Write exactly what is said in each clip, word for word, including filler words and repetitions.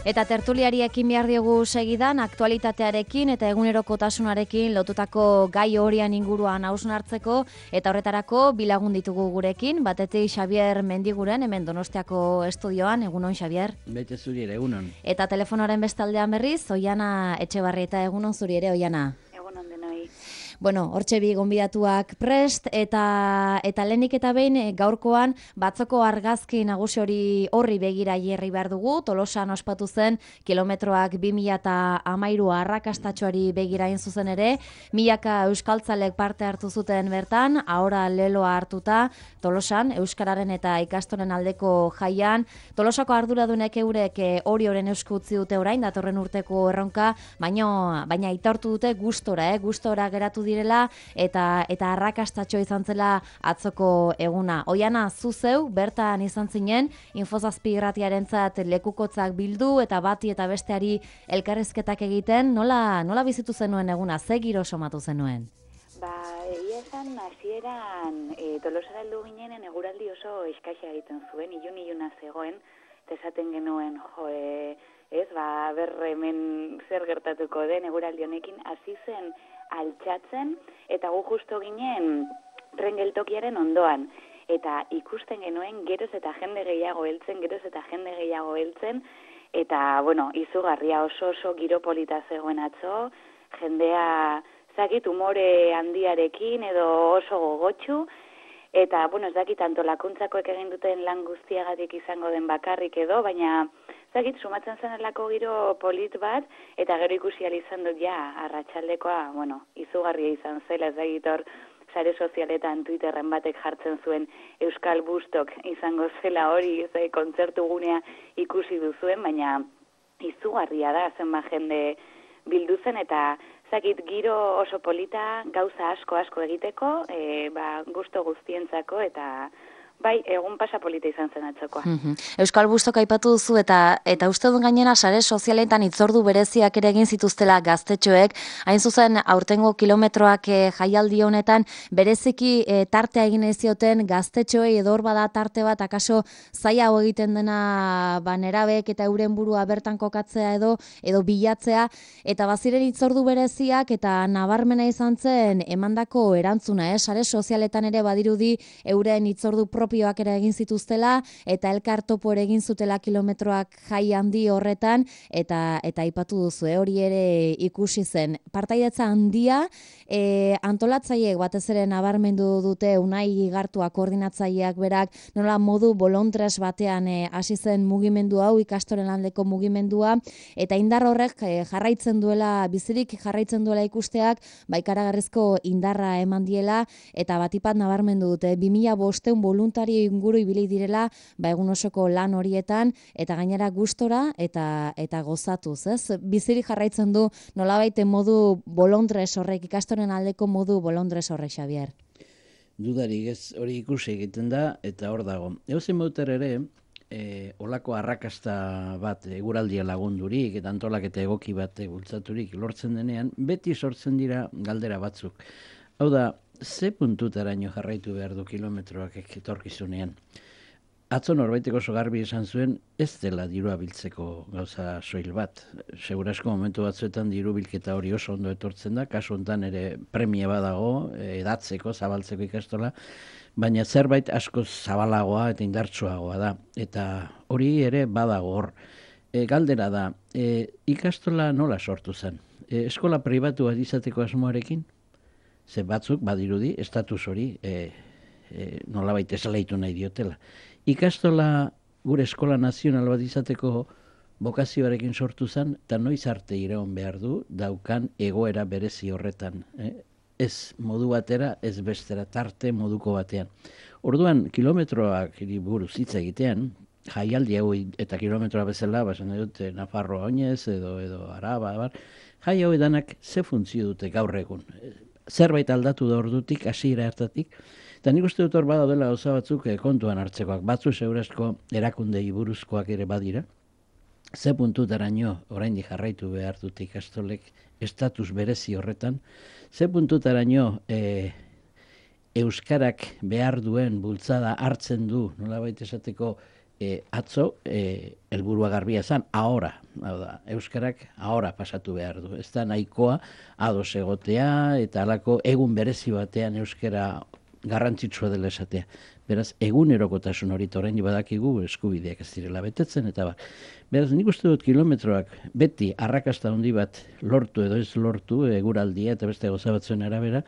Eta tertuliari ekin behar diogu segidan, aktualitatearekin eta egunerokotasunarekin lotutako gai horian inguruan hausnartzeko, eta horretarako bilagun ditugu gurekin, batetik Xabier Mendiguren, hemen Donostiako estudioan, egunon Xabier. Bete zuri ere, egunon. Eta telefonoaren bestaldean berriz, Oiana Etxebarrieta, egunon zuri ere, Oiana. Egunon denoi. Bueno, hortxe bi gonbidatuak prest, eta eta lehenik eta behin gaurkoan batzoko argazki nagusi hori horri begira jarri behar dugu. Tolosan ospatu zen kilometroak bi mila eta hamairu arrakastatxoari begira hain zuzen ere, milaka euskaltzalek parte hartu zuten bertan, ahora leloa hartuta, Tolosan, euskararen eta ikastoren aldeko jaian. Tolosako arduradunek eurek hori horren eusku utzi dute orain, datorren urteko erronka, baina baina aitortu dute gustora, eh, gustora geratu direla eta eta arrakastatxo izan zela atzoko eguna. Oiana, zu zeu bertan izan zinen, Infozazpi irratiarentzat lekukotzak bildu eta bati eta besteari elkarrizketak egiten, nola nola bizitu zenuen eguna, ze giro somatu zenuen? Ba, egia esan hasieran e, Tolosara heldu ginenen eguraldi oso eskaxa egiten zuen, ilun-iluna zegoen, eta esaten genuen, jo, e, ez, ba, ber hemen zer gertatuko den eguraldi honekin, hasi zen altxatzen, eta gu justo ginen tren geltokiaren ondoan. Eta ikusten genuen geroz eta jende gehiago heltzen, geroz eta jende gehiago heltzen, eta, bueno, izugarria oso oso giro polita zegoen atzo, jendea zakit umore handiarekin edo oso gogotsu, eta, bueno, ez dakit antolakuntzakoek egin duten lan guztiagatik izango den bakarrik edo, baina zakit sumatzen zenelako giro polit bat, eta gero ikusi ahal izan dut ja, arratsaldekoa, bueno, izugarria izan zela, ez dakit hor, sare sozialetan Twitterren batek jartzen zuen Euskal Bustok izango zela hori, ez da, kontzertu gunea ikusi duzuen, baina izugarria da, zenba jende bildu zen, eta zakit giro oso polita, gauza asko asko egiteko, e, ba, gusto guztientzako, eta bai, egun pasa polita izan zen atzokoa. Mm-hmm. Euskal Bustok aipatu duzu eta eta uste dut gainera sare sozialetan hitzordu bereziak ere egin zituztela gaztetxoek, hain zuzen aurtengo kilometroak e, jaialdi honetan bereziki e, tartea egin ez zioten gaztetxoei edo hor bada tarte bat akaso zailago egiten dena ba nerabek eta euren burua bertan kokatzea edo edo bilatzea, eta baziren hitzordu bereziak eta nabarmena izan zen emandako erantzuna, eh? Sare sozialetan ere badirudi euren hitzordu propioak ere egin zituztela eta elkar topo ere egin zutela kilometroak jai handi horretan, eta eta aipatu duzu, eh? Hori ere ikusi zen. Partaidetza handia, e, antolatzaileek batez ere nabarmendu dute, Unai Igartua koordinatzaileak berak, nola modu bolontres batean hasi zen mugimendu hau, ikastoren aldeko mugimendua, eta indar horrek e, jarraitzen duela, bizirik jarraitzen duela ikusteak, ba ikaragarrizko indarra eman diela, eta batipat nabarmendu dute, bi mila bostehun voluntario inguru ibili direla, ba egun osoko lan horietan, eta gainera gustora eta eta gozatuz, ez? Bizirik jarraitzen du nolabait modu bolondres horrek, ikastoren aldeko modu bolondres horrek, Xabier. Dudarik ez, hori ikusi egiten da, eta hor dago. Eusen bauter ere, e, olako arrakasta bat eguraldia lagundurik, eta antolaketa egoki bat bultzaturik lortzen denean, beti sortzen dira galdera batzuk. Hau da, ze puntutaraino jarraitu behar du kilometroak etorkizunean? Atzo norbaitek oso garbi esan zuen, ez dela dirua biltzeko gauza soil bat. Segurasko momentu batzuetan diru bilketa hori oso ondo etortzen da, kasu honetan ere premia badago, edatzeko, zabaltzeko ikastola, baina zerbait asko zabalagoa eta indartsuagoa da. Eta hori ere badago hor. E, galdera da, e, ikastola nola sortu zen? E, eskola pribatua izateko asmoarekin? Ze batzuk, badirudi, estatus hori e, e, nolabait esaleitu nahi diotela. Ikastola gure eskola nazional bat izateko bokazioarekin sortu zen, eta noiz arte iraun behar du daukan egoera berezi horretan. Eh? Ez modu batera, ez bestera, tarte moduko batean. Orduan, kilometroak buruz hitz egitean, jaialdi hau eta kilometroa bezala, basen dute Nafarroa oinez edo, edo Araba, bar, jai hau edanak ze funtzio dute gaur egun. Zerbait aldatu da ordutik, hasiera hartatik, eta nik uste dut hor badaudela gauza batzuk kontuan hartzekoak, batzu segurazko erakundei buruzkoak ere badira, ze puntutaraino oraindik jarraitu behar dute ikastolek estatus berezi horretan, ze puntutaraino e, euskarak behar duen bultzada hartzen du, nolabait esateko e, atzo e, helburua garbia zen, ahora, hau da, euskarak ahora pasatu behar du. Ez da nahikoa ados egotea eta halako egun berezi batean euskara garrantzitsua dela esatea. Beraz, egunerokotasun hori oraindik badakigu eskubideak ez direla betetzen, eta ba. Beraz, nik uste dut kilometroak beti arrakasta handi bat lortu edo ez lortu, eguraldia eta beste gauza batzuen arabera,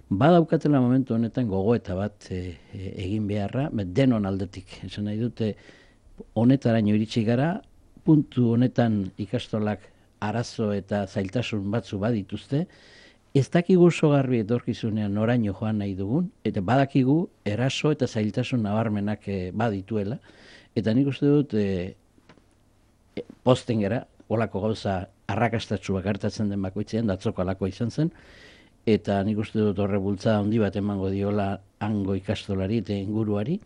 badaukatela momentu honetan gogoeta bat e, e, egin beharra, denon aldetik. Esan nahi dute, honetaraino iritsi gara, puntu honetan ikastolak arazo eta zailtasun batzu badituzte, ez dakigu oso garbi etorkizunean noraino joan nahi dugun, eta badakigu eraso eta zailtasun nabarmenak e, badituela, eta nik uste dut e, e, posten gara, olako gauza arrakastatsuak gertatzen den bakoitzean, datzoko alako izan zen, eta nik uste dut horre bultzada handi bat emango diola hango ikastolari eta inguruari,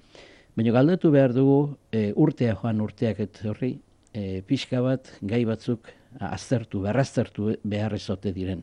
baina galdetu behar dugu e, urtea joan urteak eta horri, e, pixka bat gai batzuk aztertu, berraztertu behar izote diren.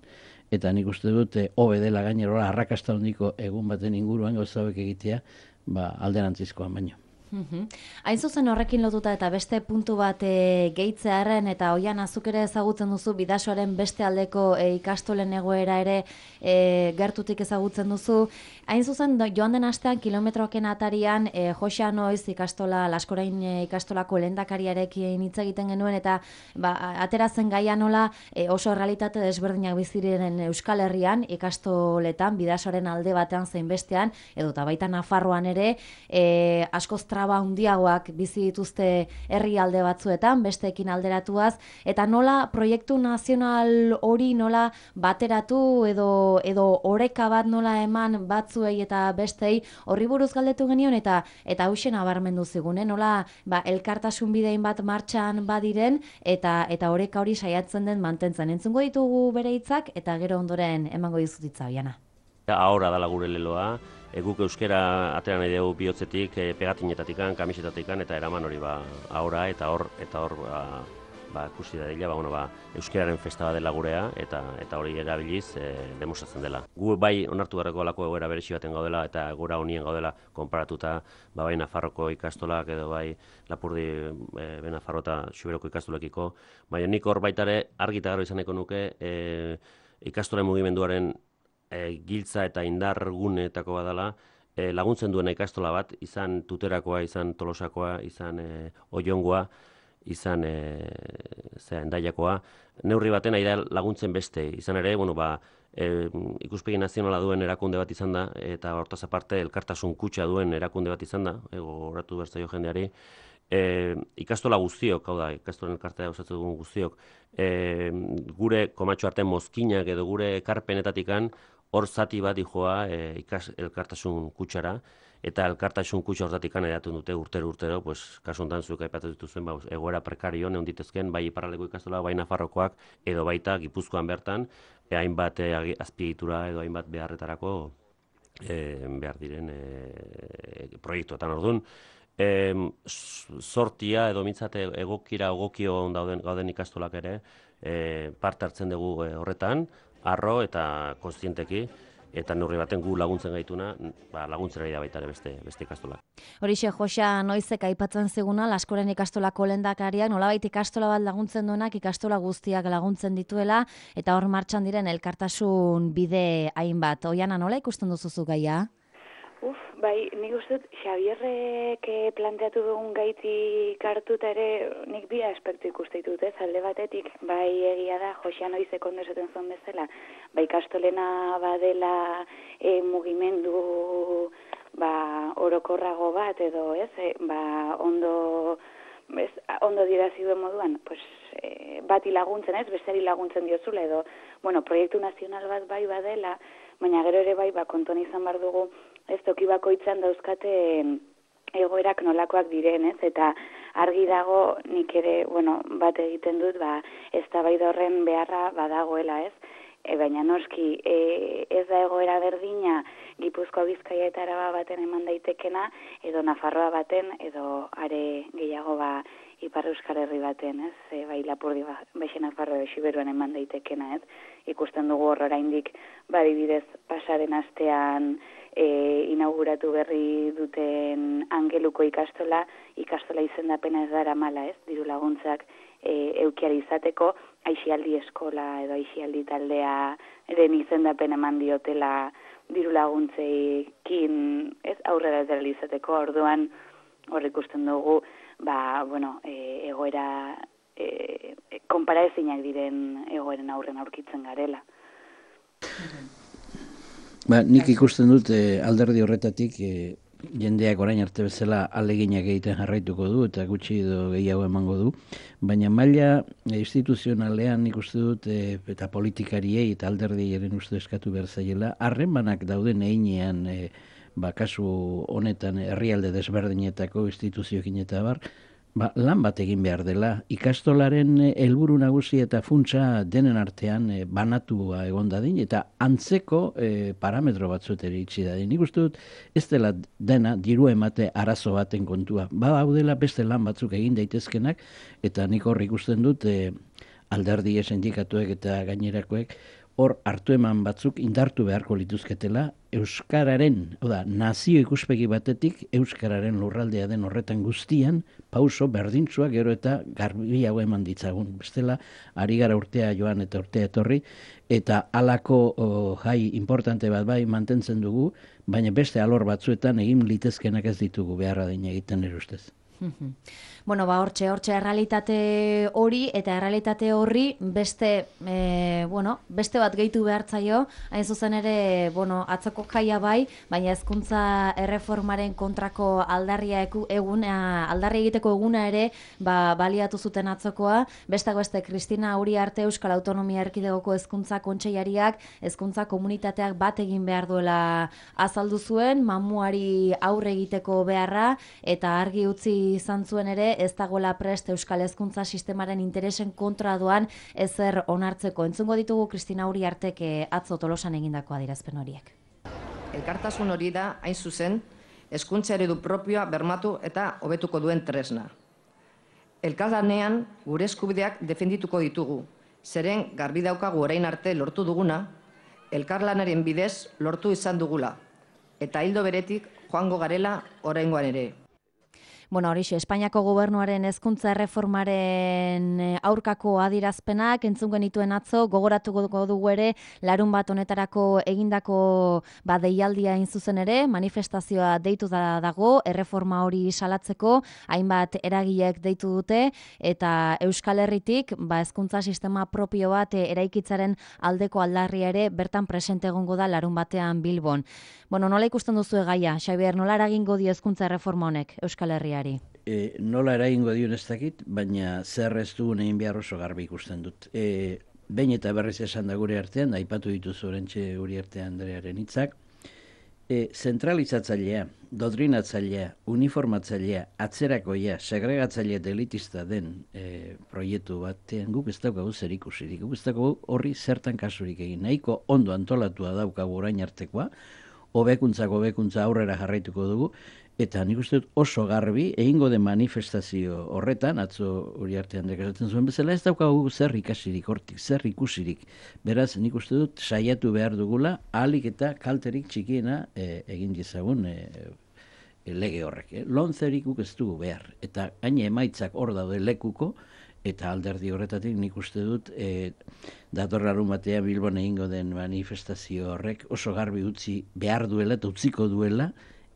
Eta nik uste dut, hobe dela gainerola arrakasta handiko egun baten inguruan gauza hauek egitea, ba, alderantzizkoan baino. Uhum. Hain zuzen horrekin lotuta eta beste puntu bat e, gehitzearen eta oian azuk ere ezagutzen duzu bidasoaren beste aldeko e, ikastolen egoera ere e, gertutik ezagutzen duzu. Hain zuzen joan den astean kilometroken atarian e, Joxa Noiz ikastola, Laskorain e, ikastolako lehendakariarekin hitz egiten genuen eta ba, aterazen gaia nola e, oso realitate desberdinak biziren Euskal Herrian ikastoletan bidasoaren alde batean zein bestean edo eta baita Nafarroan ere e, askoz traba handiagoak bizi dituzte herrialde batzuetan, besteekin alderatuaz, eta nola proiektu nazional hori nola bateratu edo edo oreka bat nola eman batzuei eta bestei horri buruz galdetu genion eta eta hauxe nabarmendu zigun, eh? Nola ba, elkartasun bidein bat martxan badiren eta eta oreka hori saiatzen den mantentzen. Entzungo ditugu bere hitzak eta gero ondoren emango dizut hitza Oiana. Ahora dala gure leloa. E, guk euskera atera nahi dugu bihotzetik, e, pegatinetatikan, kamisetatikan, eta eraman hori ba, ahora, eta hor, eta hor, ba, ba, kusi da dila, ba, bueno, ba, euskeraren festa bat dela gurea, eta eta hori erabiliz e, demostratzen dela. Gu bai onartu beharreko alako egoera beresi baten gaudela, eta gora honien gaudela konparatuta, ba, bai Nafarroko ikastolak, edo bai Lapurdi, e, be Nafarro eta Xuberoko ikastolekiko, baina nik hor baitare argi eta garo izaneko nuke, e, ikastolen mugimenduaren E, giltza eta indar guneetako badala, e, laguntzen duena ikastola bat, izan Tuterakoa, izan Tolosakoa, izan e, Oiongoa, izan e, zera, Endaiakoa, neurri baten ari da laguntzen beste. Izan ere, bueno, ba, e, ikuspegi nazionala duen erakunde bat izan da, eta hortaz aparte elkartasun kutxa duen erakunde bat izan da, horretu bertzaio jendeari, e, ikastola guztiok, hau da, ikastolen elkartea osatzen dugun guztiok, e, gure komatxo arte mozkinak edo gure ekarpenetatikan, hor zati bat dijoa e, ikas elkartasun kutsara, eta elkartasun kutsa hortatik edatu dute urtero urtero, pues, kasu honetan zuek aipatu dituzuen, ba, egoera prekario neon ditezken, bai iparraldeko ikastola, bai Nafarrokoak, edo baita Gipuzkoan bertan, e, hainbat e, azpiegitura edo hainbat beharretarako e, behar diren e, proiektuetan orduan. E, sortia edo mintzate egokira egokio dauden gauden ikastolak ere e, parte hartzen dugu e, horretan, arro eta kontzienteki, eta neurri baten gu laguntzen gaituna, ba, laguntzera da baita ere beste, beste ikastolak. Horixe Joxa Noizek aipatzen ziguna, Laskoren ikastolako lehendakariak, nolabait ikastola bat laguntzen duenak ikastola guztiak laguntzen dituela, eta hor martxan diren elkartasun bide hainbat. Oiana, nola ikusten duzuzu gaia? Uf, bai, nik uste dut Xabierrek planteatu dugun gaitik hartuta ere nik bi aspektu ikuste ditut, ez, alde batetik, bai egia da, Joxa Noizek ondo esaten zuen bezala, bai ikastolena badela e, mugimendu ba, orokorrago bat edo, ez, e, ba, ondo, ez, ondo dirazi duen moduan, pues, e, bati laguntzen, ez, bestari laguntzen diozula edo, bueno, proiektu nazional bat bai badela, baina gero ere bai, ba, konton izan bar dugu, ez toki bakoitzan dauzkate egoerak nolakoak diren, ez? Eta argi dago nik ere, bueno, bat egiten dut, ba, eztabaida horren beharra badagoela, ez? E, baina noski, e, ez da egoera berdina Gipuzkoa, Bizkaia eta Araba baten eman daitekena, edo Nafarroa baten, edo are gehiago ba Ipar Euskal Herri baten, ez? E, bai Lapurdi Baixi Nafarro Siberuan eman daitekena, ez? Ikusten dugu hor oraindik badibidez pasaren astean e, inauguratu berri duten Angeluko ikastola, ikastola izendapena ez dara mala, ez? Diru laguntzak e, eukiari izateko, Aixialdi eskola edo Aixialdi taldea eren izendapen eman diotela diru laguntzeekin, ez? Aurrera ez izateko, orduan hor ikusten dugu, ba, bueno, e, egoera, e, konparaezinak diren egoeren aurren aurkitzen garela. Ba, nik ikusten dut e, alderdi horretatik e, jendeak orain arte bezala aleginak egiten jarraituko du eta gutxi edo gehiago emango du, baina maila e, instituzionalean nik uste dut e, eta politikariei eta alderdiaren uste eskatu behar zaiela, harremanak dauden einean e, ba, kasu honetan herrialde desberdinetako instituzioekin eta bar, ba, lan bat egin behar dela. Ikastolaren helburu nagusi eta funtsa denen artean e, banatua egon dadin, eta antzeko e, parametro batzut ere itxi dadin. Nik uste dut ez dela dena diru emate arazo baten kontua. Ba, hau dela beste lan batzuk egin daitezkenak, eta nik hor ikusten dut e, alderdi sindikatuek eta gainerakoek hor hartu eman batzuk indartu beharko lituzketela euskararen, oda, nazio ikuspegi batetik euskararen lurraldea den horretan guztian pauso berdintzua gero eta garbiago eman ditzagun. Bestela, ari gara urtea joan eta urtea etorri, eta halako oh, jai importante bat bai mantentzen dugu, baina beste alor batzuetan egin litezkenak ez ditugu beharra den egiten ere ustez. Bueno, ba, hortxe, hortxe errealitate hori eta errealitate horri beste, e, bueno, beste bat gehitu behartzaio, hain zuzen ere, bueno, atzoko jaia bai, baina hezkuntza erreformaren kontrako aldarria eku, eguna, aldarri egiteko eguna ere, ba, baliatu zuten atzokoa, beste beste Kristina Uriarte Euskal Autonomia Erkidegoko hezkuntza kontseilariak, hezkuntza komunitateak bat egin behar duela azaldu zuen, mamuari aurre egiteko beharra, eta argi utzi izan zuen ere, ez dagoela prest Euskal Hezkuntza sistemaren interesen kontra doan ezer onartzeko. Entzungo ditugu Kristina Uriartek atzo Tolosan egindako adierazpen horiek. Elkartasun hori da, hain zuzen, hezkuntza eredu propioa bermatu eta hobetuko duen tresna. Elkarlanean gure eskubideak defendituko ditugu, zeren garbi daukagu orain arte lortu duguna, elkarlanaren bidez lortu izan dugula, eta hildo beretik joango garela oraingoan ere. Bueno, horixe, Espainiako gobernuaren hezkuntza erreformaren aurkako adierazpenak entzun genituen atzo, gogoratuko dugu ere, larun bat honetarako egindako ba, deialdia hain zuzen ere, manifestazioa deitu da dago, erreforma hori salatzeko, hainbat eragilek deitu dute, eta Euskal Herritik ba, hezkuntza sistema propio bat eraikitzaren aldeko aldarria ere bertan presente egongo da larun batean Bilbon. Bueno, nola ikusten duzu gaia, Xabier, nola eragingo dio hezkuntza erreforma honek Euskal Herriari? E, nola eragingo dio ez dakit, baina zer ez dugun egin behar oso garbi ikusten dut. E, behin eta berriz esan da gure artean, aipatu dituzu orentxe Uriarte Andrearen hitzak, e, zentralizatzailea, doktrinatzailea, uniformatzailea, atzerakoia, segregatzailea delitista den e, proiektu batean guk ez daukagu zer ikusirik, guk ez daukagu horri zertan kasurik egin. Nahiko ondo antolatua daukagu orain artekoa, hobekuntzak hobekuntza aurrera jarraituko dugu, eta nik uste dut oso garbi egingo den manifestazio horretan, atzo Uriarte Andreak esaten zuen bezala, ez daukagu zer ikasirik hortik, zer ikusirik. Beraz, nik uste dut saiatu behar dugula, ahalik eta kalterik txikiena e, egin dizagun e, e, lege horrek. E. Lonzerik guk ez dugu behar, eta gaine emaitzak hor daude lekuko, eta alderdi horretatik nik uste dut e, datorrarun batean Bilbon egingo den manifestazio horrek oso garbi utzi behar duela eta utziko duela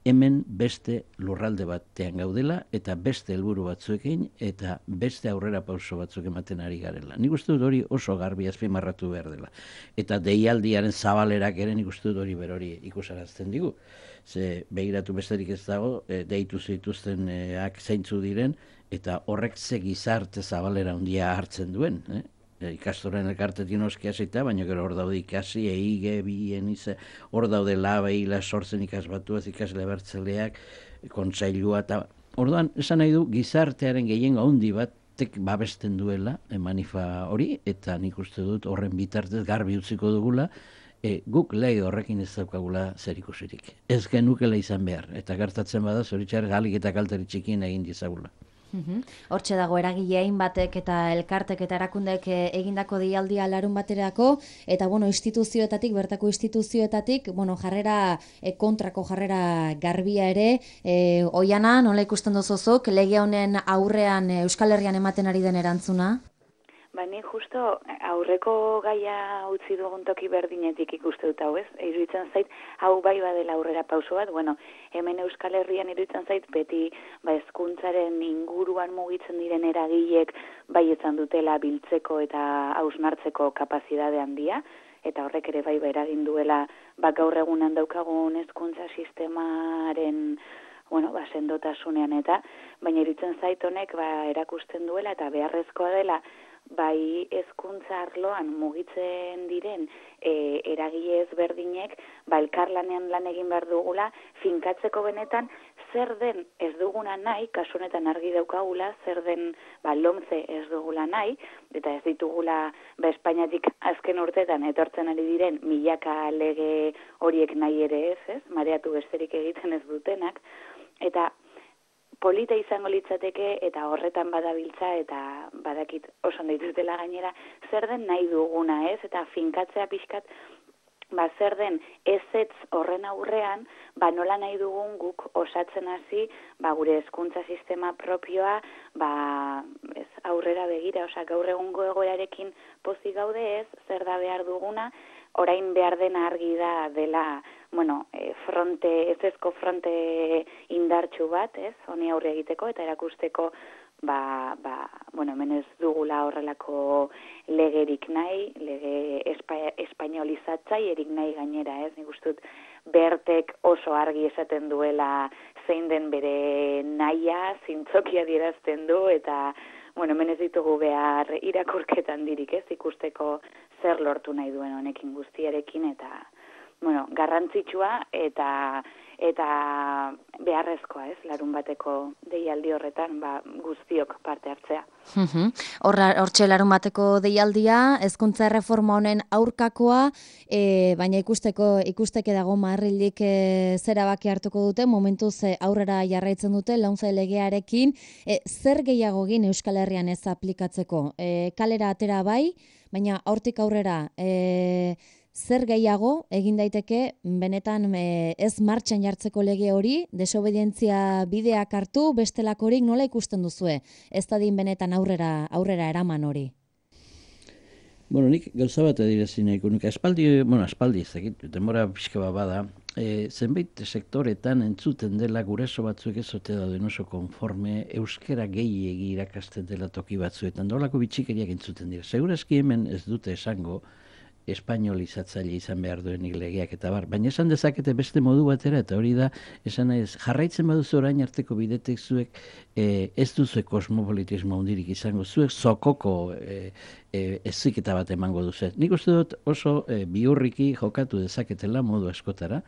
hemen beste lurralde batean gaudela eta beste helburu batzuekin eta beste aurrera pauso batzuk ematen ari garela. Nik uste dut hori oso garbi azpimarratu behar dela. Eta deialdiaren zabalerak ere nik uste dut hori berori ikusarazten digu. Ze begiratu besterik ez dago, e, deitu zituztenak zeintzu diren, eta horrek ze gizarte zabalera handia hartzen duen. Eh? E, ikastoren elkartetik noski hasita, baina gero hor daude ikasi, eige, bien, ize, hor daude laba, hila, sortzen ikasbatuaz, ikasle bertzeleak, kontsailua, eta orduan, esan nahi du, gizartearen gehiengo handi batek babesten duela, e, manifa hori, eta nik uste dut horren bitartez garbi utziko dugula, e, guk lege horrekin ez daukagula zer ikusirik. Ez genukela izan behar, eta gertatzen bada, zoritxar galik eta kalteri txikien egin dizagula. Hortxe dago eragilein batek eta elkartek eta erakundek egindako deialdia larun baterako, eta bueno, instituzioetatik, bertako instituzioetatik, bueno, jarrera kontrako jarrera garbia ere, e, Oiana, nola ikusten duzuzuk, lege honen aurrean Euskal Herrian ematen ari den erantzuna? Ba, ni justo aurreko gaia utzi dugun toki berdinetik ikuste dut hau, ez? Iruditzen zait, hau bai badela aurrera pauso bat, bueno, hemen Euskal Herrian iruditzen zait, beti ba, hezkuntzaren inguruan mugitzen diren eragilek bai izan dutela biltzeko eta hausnartzeko kapazidade handia, eta horrek ere bai ba eragin duela ba, gaur egunan daukagun hezkuntza sistemaren bueno, ba, sendotasunean eta, baina iruditzen zait honek ba, erakusten duela eta beharrezkoa dela bai hezkuntza arloan mugitzen diren e, eragile ezberdinek ba, elkarlanean lan egin behar dugula finkatzeko benetan zer den ez duguna nahi, kasu honetan argi daukagula, zer den ba, lomce ez dugula nahi, eta ez ditugula ba, Espainiatik azken urtetan etortzen ari diren milaka lege horiek nahi ere ez, ez, mareatu besterik egiten ez dutenak, eta polita izango litzateke eta horretan badabiltza eta badakit oso ondo dituztela gainera zer den nahi duguna, ez? Eta finkatzea pixkat ba zer den ezetz horren aurrean, ba nola nahi dugun guk osatzen hasi, ba gure hezkuntza sistema propioa, ba ez aurrera begira, osea gaur egungo egoerarekin pozik gaude, ez? Zer da behar duguna? Orain behar dena argi da dela, bueno, fronte, ezezko fronte indartsu bat, ez, honi aurre egiteko eta erakusteko, ba, ba, bueno, hemen ez dugula horrelako legerik nahi, lege espa, espainolizatzaierik nahi gainera, ez, nik uste dut Bertek oso argi esaten duela zein den bere nahia, zintzokia adierazten du, eta bueno, hemen ez ditugu behar irakurketan dirik, ez, ikusteko zer lortu nahi duen honekin guztiarekin, eta, bueno, garrantzitsua eta eta beharrezkoa, ez, larun bateko deialdi horretan, ba, guztiok parte hartzea. Hortxe larun bateko deialdia, hezkuntza erreforma honen aurkakoa, e, baina ikusteko ikusteke dago Madrildik e, zera baki hartuko dute, momentuz e, aurrera jarraitzen dute, launtze legearekin, e, zer gehiago egin Euskal Herrian ez aplikatzeko? E, kalera atera bai, baina hortik aurrera, e, zer gehiago egin daiteke benetan e, ez martxan jartzeko lege hori, desobedientzia bideak hartu, bestelakorik nola ikusten duzue? Ez dadin benetan aurrera aurrera eraman hori. Bueno, nik gauza bat adirazi nahiko nuke. Aspaldi, bueno, aspaldi ez dakit, denbora pixka bat bada, e, zenbait sektoretan entzuten dela guraso batzuk ez ote dauden oso konforme euskera gehiegi irakasten dela toki batzuetan. Dolako bitxikeriak entzuten dira. Segurazki hemen ez dute esango espainolizatzaile izan behar duenik legeak eta bar. Baina esan dezakete beste modu batera, eta hori da, esan nahi ez, jarraitzen baduzu orain arteko bidetek zuek e, ez duzuek kosmopolitismo hundirik izango, zuek zokoko e, e, eziketa bat emango duzu. Nik uste dut oso e, biurriki jokatu dezaketela modu askotara,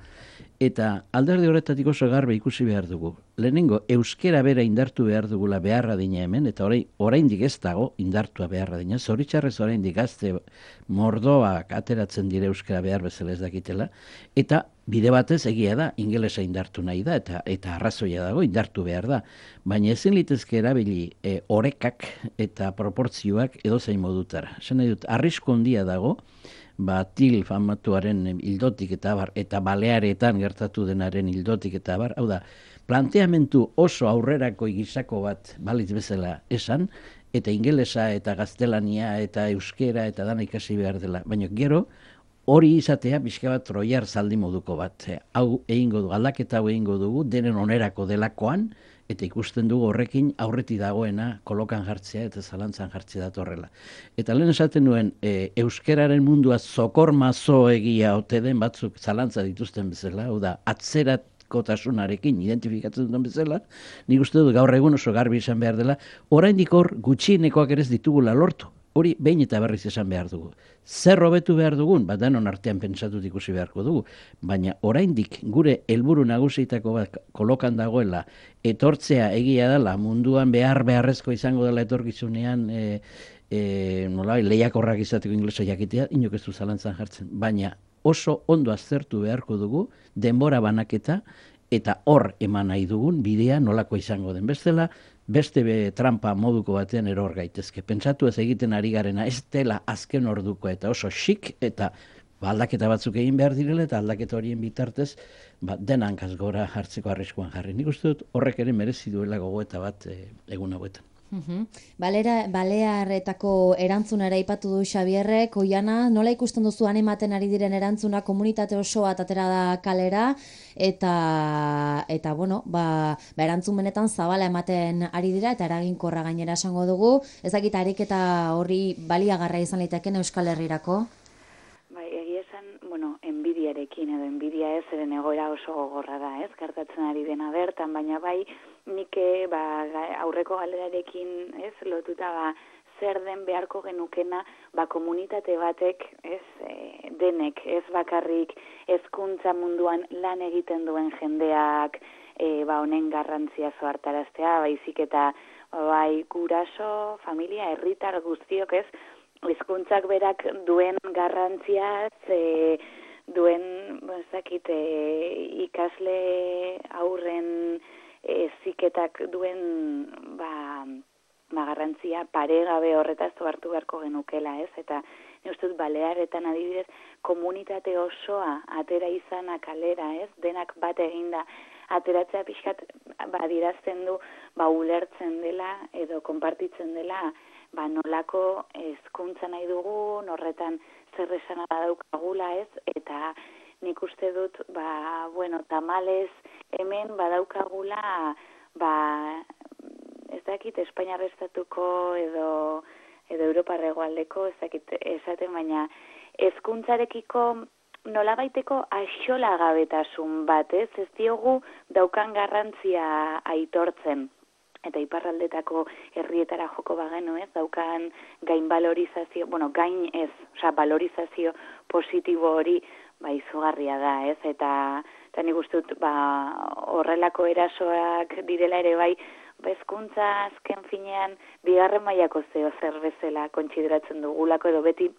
eta alderdi horretatik oso garbe ikusi behar dugu. Lehenengo, euskera bera indartu behar dugula beharra dina hemen, eta orain, oraindik ez dago indartua beharra dina. Zoritxarrez oraindik gazte mordoak ateratzen dire euskara behar bezala ez dakitela, eta bide batez egia da, ingelesa indartu nahi da, eta eta arrazoia dago, indartu behar da. Baina ezin litezke erabili e, orekak eta proportzioak edozein modutara. Esan nahi dut, arrisku handia dago, ba, til famatuaren hildotik eta bar, eta balearetan gertatu denaren hildotik eta bar, hau da, planteamentu oso aurrerako gizako bat balitz bezala esan, eta ingelesa eta gaztelania eta euskera eta dana ikasi behar dela. Baina gero, hori izatea pixka bat troiar zaldi moduko bat. Hau egingo du, aldaketa hau egingo dugu, denen onerako delakoan, eta ikusten dugu horrekin aurreti dagoena kolokan jartzea eta zalantzan jartzea datorrela. Eta lehen esaten nuen, e, euskeraren mundua zokor mazo egia ote den batzuk zalantza dituzten bezala, hau da, atzerat kotasunarekin identifikatzen duten bezala, nik uste dut gaur egun oso garbi izan behar dela, oraindik hor gutxienekoak ere ez ditugula lortu. Hori behin eta berriz esan behar dugu. Zer hobetu behar dugun, bat denon artean pentsatut ikusi beharko dugu, baina oraindik gure helburu nagusietako bat kolokan dagoela, etortzea egia dela, munduan behar beharrezko izango dela etorkizunean, e, e, nola, lehiakorrak izateko inglesa jakitea, inok ez du zalantzan jartzen, baina oso ondo aztertu beharko dugu, denbora banaketa, eta hor eman nahi dugun bidea nolako izango den. Bestela, beste be trampa moduko batean eror gaitezke. Pentsatu ez egiten ari garena ez dela azken orduko eta oso xik eta ba, aldaketa batzuk egin behar direla eta aldaketa horien bitartez ba, denan gora hartzeko arriskuan jarri. Nik uste dut horrek ere merezi duela gogoeta bat e, egun hauetan. Uhum. Balera, Balearretako erantzunera aipatu du Xabierrek, Oiana, nola ikusten duzu ematen ari diren erantzuna komunitate osoa atera da kalera, eta, eta bueno, ba, ba erantzun benetan zabala ematen ari dira, eta eraginkorra gainera esango dugu, ez dakit ariketa horri baliagarra izan liteken Euskal Herrirako? Bai, egia esan, bueno, enbidiarekin edo enbidia ez, eren egoera oso gogorra da, ez, gertatzen ari dena bertan, baina bai, nik ba, aurreko galerarekin ez lotuta ba, zer den beharko genukena ba, komunitate batek ez e, denek ez bakarrik hezkuntza munduan lan egiten duen jendeak e, ba, honen garrantzia zoartaraztea, baizik eta bai guraso, familia, herritar guztiok ez hezkuntzak berak duen garrantziaz e, duen bazakit, e, ikasle aurren eziketak duen ba, ba garrantzia paregabe horretaz hartu beharko genukela, ez? Eta ni uste dut Balearetan adibidez komunitate osoa atera izana kalera, ez? Denak bat eginda ateratzea pixkat badirazten du ba ulertzen dela edo konpartitzen dela ba nolako hezkuntza nahi dugun, horretan zer esana daukagula, ez? Eta nik uste dut, ba, bueno, tamales hemen badaukagula, ba, ez dakit, Espainiar estatuko edo, edo Europar hegoaldeko, ez dakit, esaten, baina hezkuntzarekiko nolabaiteko axolagabetasun bat, ez? Ez diogu daukan garrantzia aitortzen. Eta iparraldetako herrietara joko bagenu, ez, daukan gain valorizazio, bueno, gain ez, osea, valorizazio positibo hori, ba, izugarria da, ez, eta, eta nik uste dut, ba, horrelako erasoak direla ere bai, ba, hezkuntza azken finean, bigarren mailako zeo zer bezala kontsideratzen dugulako, edo beti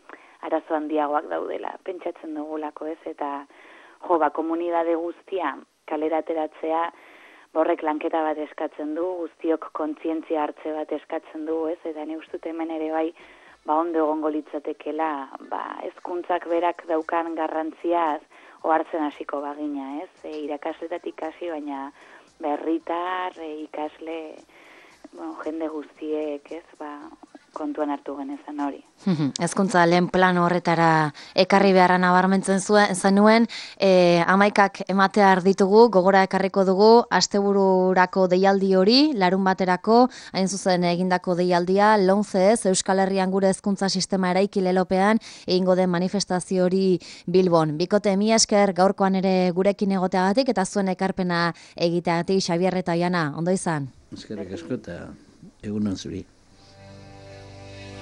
arazo handiagoak daudela, pentsatzen dugulako, ez, eta, jo, ba, komunidade guztia kalera ateratzea, horrek lanketa bat eskatzen du, guztiok kontzientzia hartze bat eskatzen du, ez, eta ni uste dut hemen ere bai, ba ondo egongo litzatekela, ba hezkuntzak berak daukan garrantziaz ohartzen hasiko bagina, ez? E, irakasletatik hasi, baina herritar, e, ikasle, bueno, jende guztiek, ez, ba kontuan hartu genezan hori. Hezkuntza lehen plano horretara ekarri beharra nabarmentzen zuen zenuen, e, hamaikak ematear ditugu, gogora ekarriko dugu, astebururako deialdi hori, larun baterako, hain zuzen egindako deialdia, lonzez, Euskal Herrian gure hezkuntza sistema eraiki lelopean, egingo den manifestazio hori Bilbon. Bikote, mi esker gaurkoan ere gurekin egoteagatik, eta zuen ekarpena egiteagatik, Xabier eta Oiana, ondo izan? Eskerrik asko eta egunon zuri.